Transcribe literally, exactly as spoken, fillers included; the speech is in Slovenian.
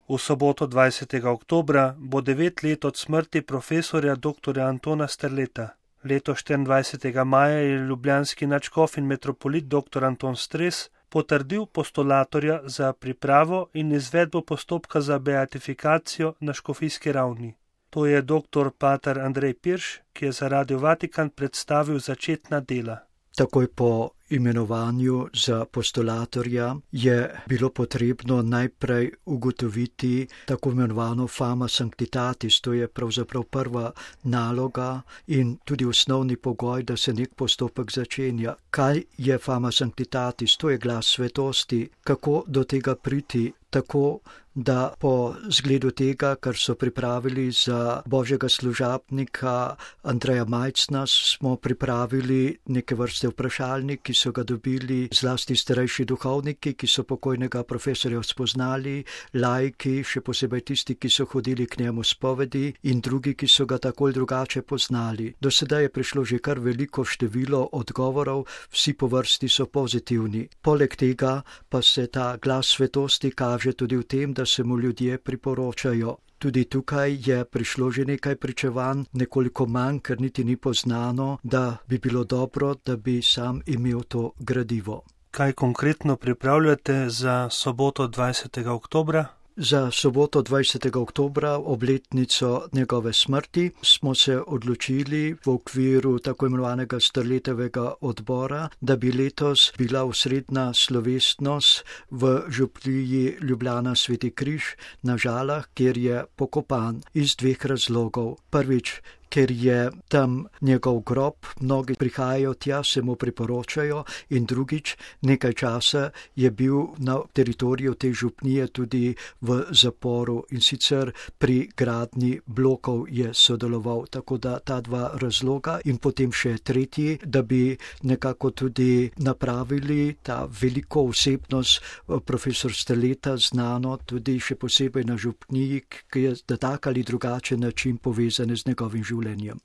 V soboto dvajsetega oktobra bo devet let od smrti profesorja doktorja Antona Strleta. Leto štiriindvajsetega maja je ljubljanski nadškof in metropolit doktor Anton Stres potrdil postulatorja za pripravo in izvedbo postopka za beatifikacijo na škofijski ravni. To je doktor pater Andrej Pirš, ki je za Radio Vatikan predstavil začetna dela. Takoj po imenovanju za postulatorja je bilo potrebno najprej ugotoviti tako imenovano fama sanctitatis, to je pravzaprav prva naloga in tudi osnovni pogoj, da se nek postopek začenja. Kaj je fama sanctitatis? To je glas svetosti. Kako do tega priti? Tako, da po zgledu tega, kar so pripravili za božjega služabnika Andreja Majcna, smo pripravili neke vrste vprašalnik, ki so ga dobili zlasti starejši duhovniki, ki so pokojnega profesorja spoznali, laiki, še posebej tisti, ki so hodili k njemu spovedi in drugi, ki so ga tako ali drugače poznali. Do sedaj je prišlo že kar veliko število odgovorov, vsi po vrsti so pozitivni. Poleg tega pa se ta glas svetosti kaže tudi v tem, da se mu ljudje priporočajo. Tudi tukaj je prišlo že nekaj pričevanj, nekoliko manj, ker niti ni poznano, da bi bilo dobro, da bi sam imel to gradivo. Kaj konkretno pripravljate za soboto dvajsetega oktobra? Za soboto dvajsetega oktobra, obletnico njegove smrti, smo se odločili v okviru tako imenovanega Strletovega odbora, da bi letos bila osrednja slovesnost v župniji Ljubljana Sveti Križ na Žalah, kjer je pokopan iz dveh razlogov. Prvič, ker je tam njegov grob, mnogi prihajajo tja, se mu priporočajo, in drugič, nekaj časa je bil na teritoriju te župnije tudi v zaporu in sicer pri gradnji blokov je sodeloval, tako da ta dva razloga in potem še tretji, da bi nekako tudi napravili ta veliko osebnost profesor Strleta, znano tudi še posebej na župniji, ki je na tak ali drugačen način povezane z njegovim življenjem.